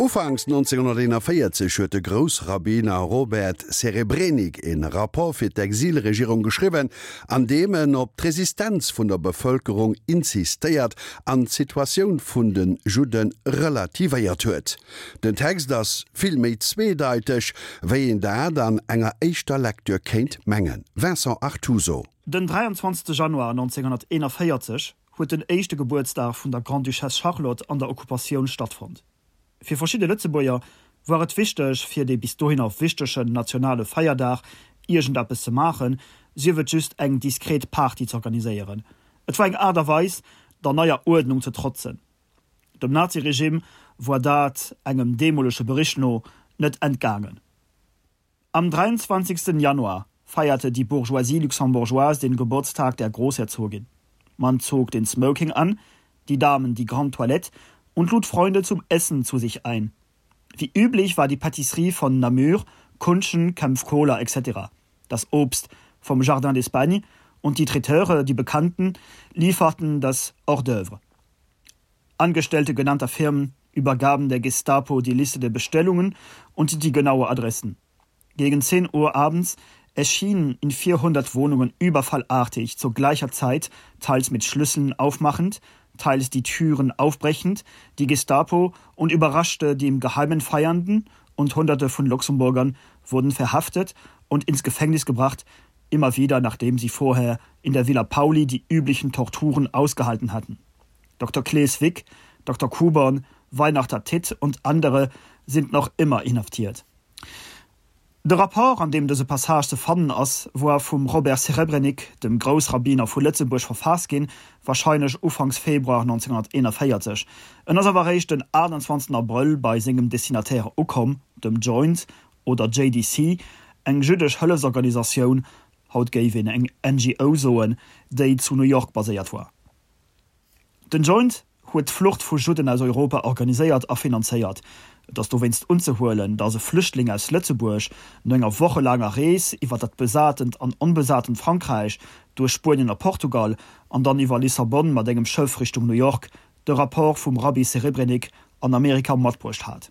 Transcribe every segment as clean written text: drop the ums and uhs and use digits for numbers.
Ufanks 1941 huet de Groussrabbiner Robert Serebrenik e Rapport fir d'Exilregierung geschriwwen, an deem en op d'Resistenz vun der Bevëlkerung insistéiert an d'Situatioun vun de Judde relativéiert huet. Den Text ass vill méi zweedeiteg, wéi een dat an enger éischter Lecture kéint mengen. Vincent Artuso. Den 23 Januar 1941 huet den éischte Gebuertsdag vun der Grande-Duchesse Charlotte an der Okkupatioun stattfonnt. Fir verschidde Lëtzebuerger war et wichteg, fir dee bis dohinner wichtegen nationale Feierdag iergendeppes ze maachen, sief et just eng diskret Party z'organiséieren. Et war eng Aart a Weis, der neier Uerdnung ze trotzen. Dem Naziregime war dat, engem deemolege Bericht no, net entgaangen. Am 23. Januar feierte die Bourgeoisie luxembourgeoise den Geburtstag der Großherzogin. Man zog den Smoking an, die Damen die Grande Toilette und lud Freunde zum Essen zu sich ein. Wie üblich war die Patisserie von Namur, Kunschen, Kempf Cola etc. Das Obst vom Jardin d'Espagne und die Traiteure, die Bekannten, lieferten das Hors d'oeuvre. Angestellte genannter Firmen übergaben der Gestapo die Liste der Bestellungen und die genaue Adressen. Gegen 10 Uhr abends erschienen in 400 Wohnungen überfallartig zu gleicher Zeit, teils mit Schlüsseln aufmachend, teils die Türen aufbrechend, die Gestapo und überraschte die im Geheimen Feiernden und Hunderte von Luxemburgern wurden verhaftet und ins Gefängnis gebracht, immer wieder nachdem sie vorher in der Villa Pauli die üblichen Torturen ausgehalten hatten. Dr. Klees Wick, Dr. Kuborn, Weihnachter Titt und andere sind noch immer inhaftiert. De Rapport, an deem dëse Passage ze fannen ass, woar vum Robert Serebrenik, dem Groussrabbiner vu Lëtzebuerg, verfaasst ginn, warscheinlech ufanks Februar 1941. En ass awer eréischt den 28 Abrëll bei sengem Destinataire ukomm, dem Joint oder JDC, eng jüddesch Hëllefsorganisatioun, haut géif een eng NGO soen, déi zu New York baséiert woar. Den Joint huet d'Flucht vu Judden aus Europa organiséiert a finanzéiert. Et ass dowéinst unzehuelen, datt e Flüchtling aus Lëtzebuerg no enger wochelaanger Rees iwwer dat besatent an onbesatent Frankräich, duerch Spuenien a Portugal an dann iwwer Lissabon mat engem Schëff Richtung New York de Rapport vum Rabbi Serebrenik an Amerika matbruecht hat.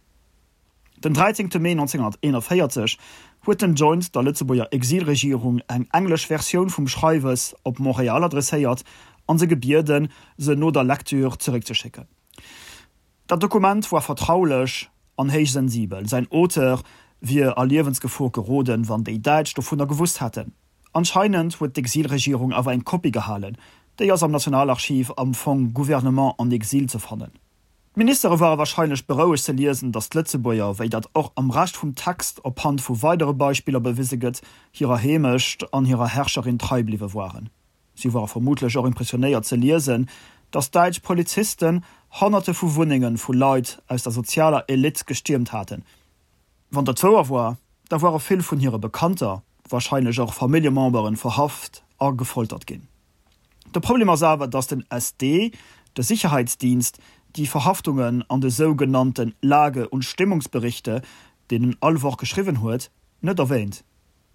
Den 13 Mee 1941 huet den Joint der Lëtzebuerger Exilregierung eng englesch Versioun vum Schreiwes op Montréal adresséiert an se gebieden, se no der Lecture zeréckzeschécken. Dat Dokument war vertraulech an héich sensibel, säin Auteur wier a Liewensgefor geroden, wann déi Däitsch dovunner gewusst hätten. Anscheinend huet d'Exilregierung awer eng Kopie gehalen, déi ass am Nationalarchiv am Fong Gouvernement en exil ze fannen. D'Ministere ware warscheinlech berouegt ze liesen, datt d'Lëtzebuerger, wéi dat och am Rescht vum Text op Hand vu weidere Beispiller bewise gëtt, hirer Heemecht an hirer Herrscherin trei bliwwe waren. Si ware vermutlech och impressionéiert ze liesen, datt däitsch Polizisten Honnerte vu Wunnenge vu Leit aus der sozialer Elite gestiermt haten. Wann dat wouer war, da ware vill vun hire Bekannter, warscheinlech och Familljememberen, verhaft a gefoltert ginn. De Problem ass awer, datt den SD, de Sicherheitsdienst, déi Verhaftungen an de sougenannte Lage und Stimmungsberichte, deen en all Woch geschriwwen huet, net erwähnt.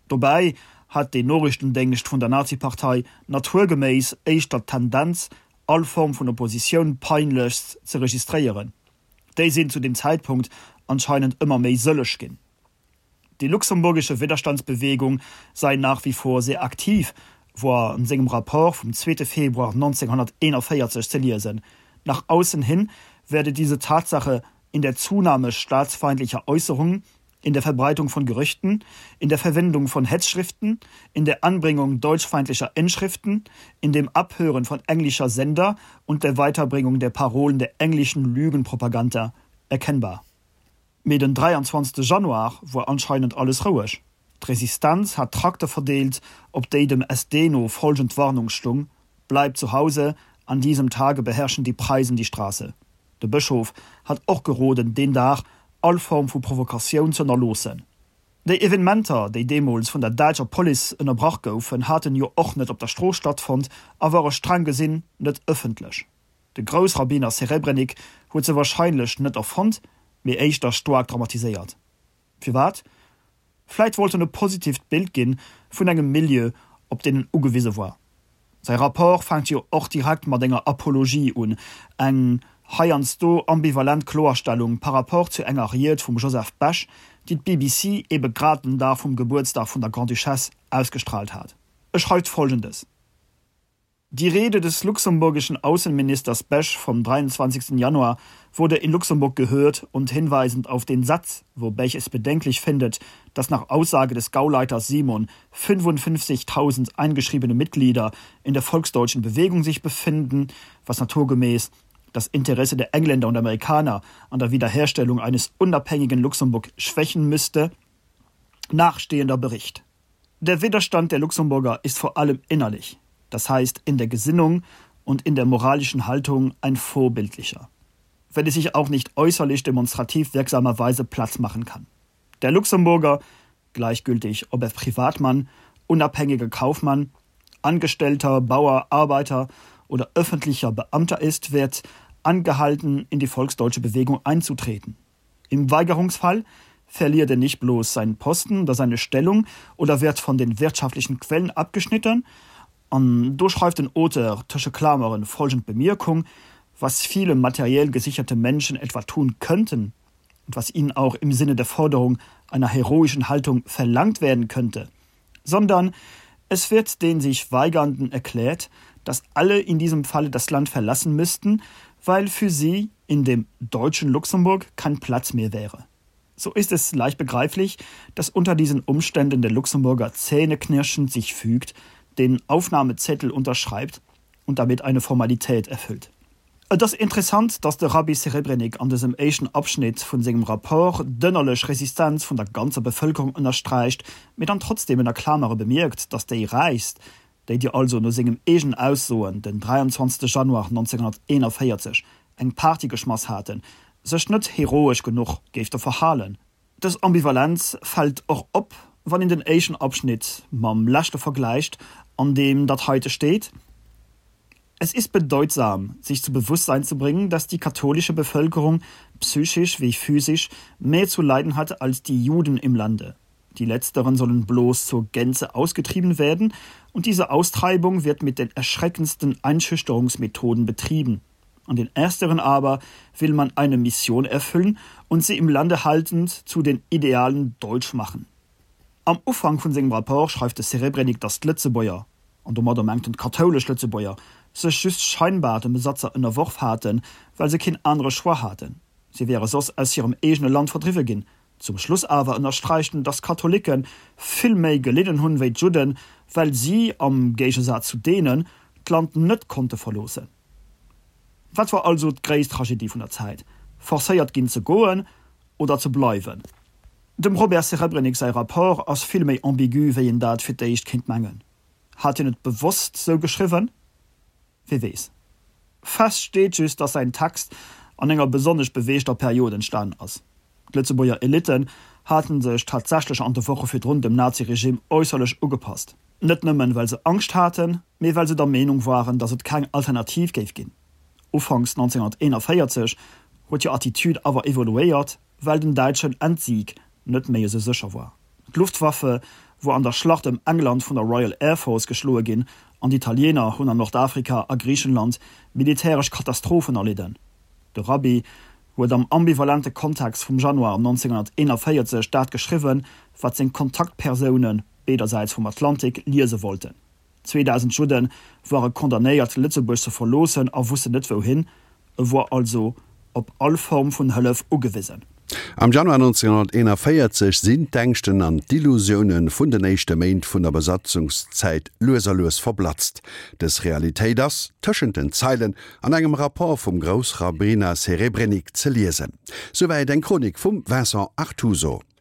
Dobäi hat deen Noriichtendéngscht vun der Nazipartei naturgeméiss éischter d'Tendenz, all Form vun Oppositioun peinlechst ze registréieren. Déi sinn zu deem Zäitpunkt anscheinend ëmmer méi sëlleg ginn. Die luxemburgische Widerstandsbewegung sei nach wie vor sehr aktiv, war an sengem Rapport vum 2. Februar 1941 ze liesen. Nach außen hin werde diese Tatsache in der Zunahme staatsfeindlicher Äußerungen, in der Verbreitung von Gerüchten, in der Verwendung von Hetzschriften, in der Anbringung deutschfeindlicher Inschriften, in dem Abhören von englischer Sender und der Weiterbringung der Parolen der englischen Lügenpropaganda erkennbar. Mee den 23 Januar woar anscheinend alles roueg. D'Resistenz hat Trakte verdeelt, op déi dem SD no folgend Warnung stung, Bleibt zu Hause, an diesem Tage beherrschen die Preisen die Straße. De Bëschof hat och geroden, deen Dag all Form vu Provokatioun z'ënnerloossen. Déi Evenementer, déi deemools vun der däitscher Police ënnerbrach goufen, haten jo och net op der Strooss stattfonnt a ware streng gesinn net ëffentlech. De Groussrabbiner Serebrenik huet se warscheinlech net erfonnt, mee éischter staark dramatiséiert. Firwat? Vläit wollt en e positivt Bild ginn vun engem Milieu, op deen en ugewise war. Säi Rapport fänkt jo och direkt mat enger Apologie un, eng. heiansdo ambivalent Kloerstellung par rapport zu enger Ried vum Joseph Bech, déi d'BBC ebe grad den Dag vum Gebuertsdag vun der Grande-Duchesse ausgestraalt hat. E schreift Folgendes. Die Rede des luxemburgischen Außenministers Bech vom 23. Januar wurde in Luxemburg gehört und hinweisend auf den Satz, wo Bech es bedenklich findet, dass nach Aussage des Gauleiters Simon 55.000 eingeschriebene Mitglieder in der volksdeutschen Bewegung sich befinden, was naturgemäß das Interesse der Engländer und Amerikaner an der Wiederherstellung eines unabhängigen Luxemburg schwächen müsste, nachstehender Bericht. Der Widerstand der Luxemburger ist vor allem innerlich, das heißt in der Gesinnung und in der moralischen Haltung ein vorbildlicher, wenn es sich auch nicht äußerlich demonstrativ wirksamerweise Platz machen kann. Der Luxemburger, gleichgültig ob er Privatmann, unabhängiger Kaufmann, Angestellter, Bauer, Arbeiter oder öffentlicher Beamter ist, wird angehalten, in die volksdeutsche Bewegung einzutreten. Im Weigerungsfall verliert er nicht bloß seinen Posten oder seine Stellung oder wird von den wirtschaftlichen Quellen abgeschnitten, an do schreift den Auteur tësche Klameren folgend Bemierkung, was viele materiell gesicherte Menschen etwa tun könnten und was ihnen auch im Sinne der Forderung einer heroischen Haltung verlangt werden könnte, sondern es wird den sich Weigernden erklärt, dass alle in diesem Falle das Land verlassen müssten, weil für sie in dem deutschen Luxemburg kein Platz mehr wäre. So ist es leicht begreiflich, dass unter diesen Umständen der Luxemburger zähneknirschend sich fügt, den Aufnahmezettel unterschreibt und damit eine Formalität erfüllt. Et ass interessant, datt de Rabbi Serebrenik an dësem éischten Abschnitt vun sengem Rapport d'ënnerlech Resistenz vun der ganzer Bevëlkerung ënnersträicht, mee dann trotzdem ënner Klamere bemierkt, datt déi Räichst, déi déi also no sengem eegenen Aussoen den 23 Januar 1941 eng Party geschmass haten, sech net heroesch genuch géifte verhalen. Dës Ambivalenz fält och op, wann een den éischten Abschnitt mam leschte vergläicht, an deem dat heite steet, Es ist bedeutsam, sich zu Bewusstsein zu bringen, dass die katholische Bevölkerung psychisch wie physisch mehr zu leiden hat als die Juden im Lande. Die letzteren sollen bloß zur Gänze ausgetrieben werden, und diese Austreibung wird mit den erschreckendsten Einschüchterungsmethoden betrieben. An den ersteren aber will man eine Mission erfüllen und sie im Lande haltend zu den Idealen deutsch machen. Am Ufank vun sengem Rapport schreift de Serebrenik, datt d'Lëtzebuerger, an domadder mengt en d'kathoulesch Lëtzebuerger, sech just scheinbar dem Besatzer ënnerworf haten, well se keen anere Choix haten. Si wäre soss aus hirem eegene Land verdriwwe ginn. Zum Schluss awer ënnersträicht en, datt d'Katholikke vill méi gelidden hunn wéi d'Judden, well si, am Géigesaz zu deenen, d'Land net konnte verloossen. Wat war also d'gréisst Tragedie vun der Zäit? Forcéiert ginn ze goen oder ze bleiwen? Dem Robert Serebrenik säi Rapport ass vill méi ambigu wéi een dat fir d'éischt kéint mengen. Hat hien et bewosst sou geschriwwen? Wie weess. Fest steet just, datt säin Text an enger besonnesch beweegter Period entstanen ass. D'Lëtzebuerger Elitten hate sech tatsächlech an de Woche virdrun dem Naziregime äusserlech ugepasst. Net nëmmen well se Angscht haten, mee well se der Meenung waren, datt et keng Alternativ géif ginn. Ufanks 1941 huet hir Attitude awer evoluéiert, well den däitschen Endsieg net méi esou sécher war. D'Luftwaffe wor an der Schlacht ëm England vun der Royal Air Force geschloe ginn an d'Italiener hunn an Nordafrika a Griichenland militäresch Katastrophen erlidden. De Rabbi huet am ambivalente Kontext vum Januar 1941 dat geschriwwen, wat seng Kontaktpersoune beedersäits vum Atlantik liese wollten. 2.000 Judde ware condamnéiert Lëtzebuerg ze verloossen a wussten net wouhin, e wor also op all Form vun Hëllef ugewisen. Am Januar 1941 sinn d'Ängschten an d'Illusioune vun den éischte Méint vun der Besatzungszäit lues a lues verblatzt. Dës Realitéit ass, tëschent den Zeilen, an engem Rapport vum Groussrabbiner Serebrenik ze liesen. Souwäit eng Chronik vum Vincent Artuso.